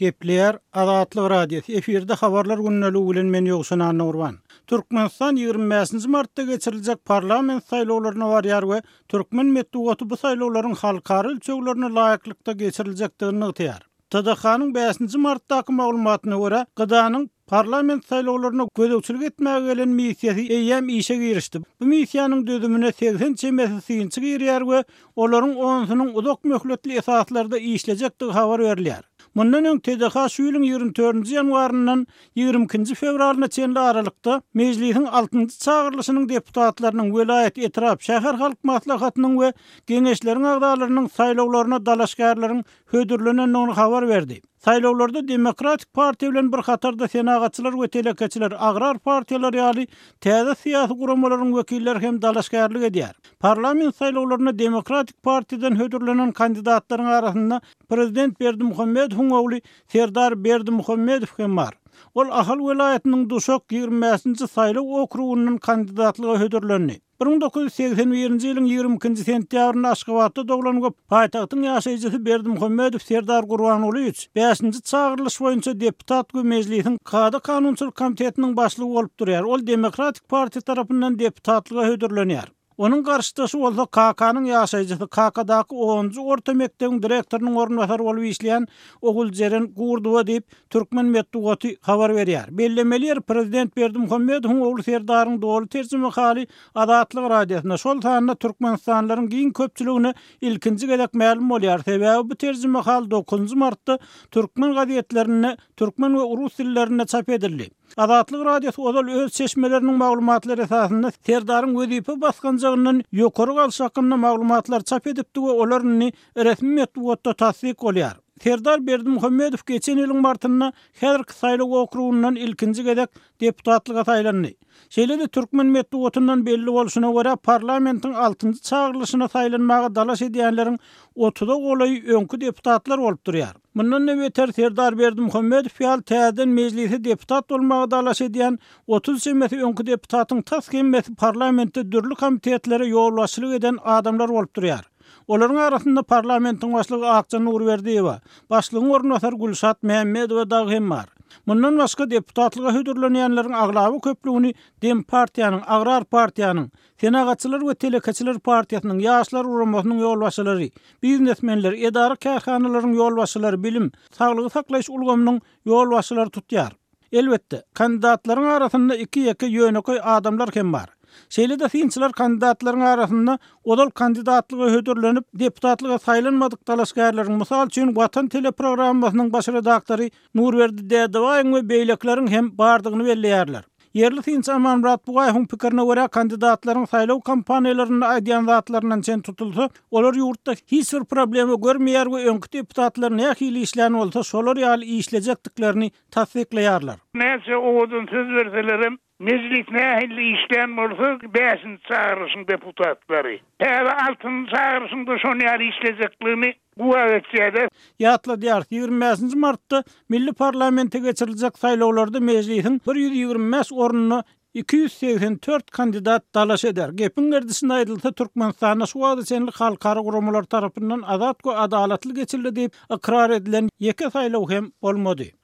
Gepleýär Azatlyk Radiosy, efirde Habarlar gündeligi bilen men Ýowşan Annagurban. Türkmenistan 25-nji martda geçiriljek parlament saýlawlaryna barýar we türkmen metbugaty bu saýlawlaryň halkara ölçeglerine laýyklykda geçiriljekdigini nygtaýar. TDH-nyň bäşinji martdaky maglumatyna görä, GDA-nyň parlament saýlawlaryna gözegçilik etmäge gelen missiýasy eýýäm işe girişdi. Bu missiýanyň düzümine 80 çemesi synçy girýär we olaryň onusynyň uzak möhletli esaslarda işlejekdigi habar berilýär. Mundan öň TDH şu ýylyň 24-nji ýanwaryndan 22-nji fewralyna çenli aralykda Mejlisiň altynjy çagyrylyşynyň deputatlarynyň, welaýat, etrap, şäher halk maslahatynyň we Geňeşleriň agzalarynyň saýlawlaryna dalaşgärleriň hödürlenendigini habar berdi. Saýlawlarda Demokratik partiýa bilen bir hatarda Senagatçylar we telekeçiler, Agrar partiýalar ýaly täze syýasy guramalaryň wekilleri hem dalaşgärlik edýär. Parlament saýlawlarynda Demokratik partiýadan hödürlenen kandidatlaryň arasynda prezident Berdimuhamedowyň ogly Serdar Berdimuhamedow hem bar. Ol Ahal welaýatynyň Duşak 25-nji saýlaw okrugyndan kandidatlyga hödürlendi. 1981-nji ýylyň 22-nji sentýabrynda Aşgabatda doglan we paýtagtyň ýaşaýjysy Berdimuhamedow Serdar Gurbangulyýewiç bäşinji çagyrylyş boýunça deputat we Mejlisiň Kada-kanunçylyk komitetiniň başlygy bolup durýar. Ol Demokratik partiýa tarapyndan deputatlyga hödürlenýär. Onuň garşydaşy bolsa Kakanyň ýaşaýjysy, Kakadaky onunjy orta mekdebiň direktorynyň orunbasary bolup işleýän Oguljeren Gurdowa diýip, Türkmen metbugaty habar berýär. Bellemeli ýeri, prezident Berdimuhamedowyň ogly Serdaryň doly terjimehaly Azatlyk Radiosynda, şol sanda türkmenistanlylaryň giň köpçüligine ilkinji gezek mälim bolýar. Sebäbi bu terjimehal dokuzynjy martda türkmen gazetlerinde türkmen we rus dillerinde çap edildi. Azatlyk Radiosy ozal öz çeşmeleriniň maglumatlary esasynda Serdaryň wezipe basgançagyndan ýokary galşy hakynda maglumatlary çap edipdi we olar indi resmi metbugatda tassyk bolýar. Serdar Berdimuhamedow geçen ýylyň martynda häzirki saýlaw okrugyndan ilkinji gezek deputatlyga saýlandy. Şeýle-de türkmen metbugatyndan belli bolşuna görä, parlamentiň altynjy çagyrylyşyna saýlanmaga dalaş edýänleriň otuza golaýy öňki deputatlar bolup durýar. Mundan-da beter, Serdar Berdimuhamedow ýaly täzeden mejlise deputat bolmaga dalaş edýän 30 çemesi öňki deputatyň tas hemmesi parlamentde dürli komitetlere ýolbaşçylyk eden adamlar bolup durýar. Olaryň arasynda parlamentiň başlygy Akja Nurberdiýewa, başlygyň orunbasary Gülşat Mämmedowa dagy hem bar. Mundan başga, deputatlyga hödürlenýänleriň aglaba köplügini Dempartiýanyň, Agrar partiýanyň, Senagatçylar we telekeçiler partiýasynyň, Ýaşlar guramasynyň ýolbaşçylary, biznesmenler, edara-kärhanalaryň ýolbaşçylary, bilim, saglygy saklaýyş ulgamynyň ýolbaşçylary tutýar. Elbetde, kandidatlaryň arasynda iki-ýeke ýönekeý adamlar hem bar. Şeýle-de synçylar kandidatlaryň arasynda ozal kandidatlyga hödürlenip, deputatlyga saýlanmadyk dalaşgärleriň, mysal üçin, Watan teleprogrammasynyň baş redaktory Nurberdi Dädebaýyň we beýlekileriň hem bardygyny belleýärler. Ýerli synçy Amanmyrat Bugaýewiň pikirine görä, kandidatlaryň saýlaw kampaniýalarynda aýdýan zatlaryndan çen tutulsa, olar ýurtda hiç bir problema görmeýär we öňki deputatlar nähili işlän bolsa, şolar ýaly işlejekdiklerini tassyklaýarlar. Näçe owadan söz berselerem, Mejlis nähili işlän bolsa, bäşinji çagyryşyň deputatlary, täze altynjy çagyryşyň-da şon ýaly işlejekligini güwä geçýärler. Ýatladýarys, 25-nji martda milli parlamente geçiriljek saýlawlarda Mejlisiň 125 ornuna 284 kandidat dalaş eder. Gepiň gerdişinde aýdylsa, Türkmenistanda şu wagta çenli halkara guramalar tarapyndan azat we adalatly geçirildi diýip ykrar edilen ýeke saýlaw hem bolmady.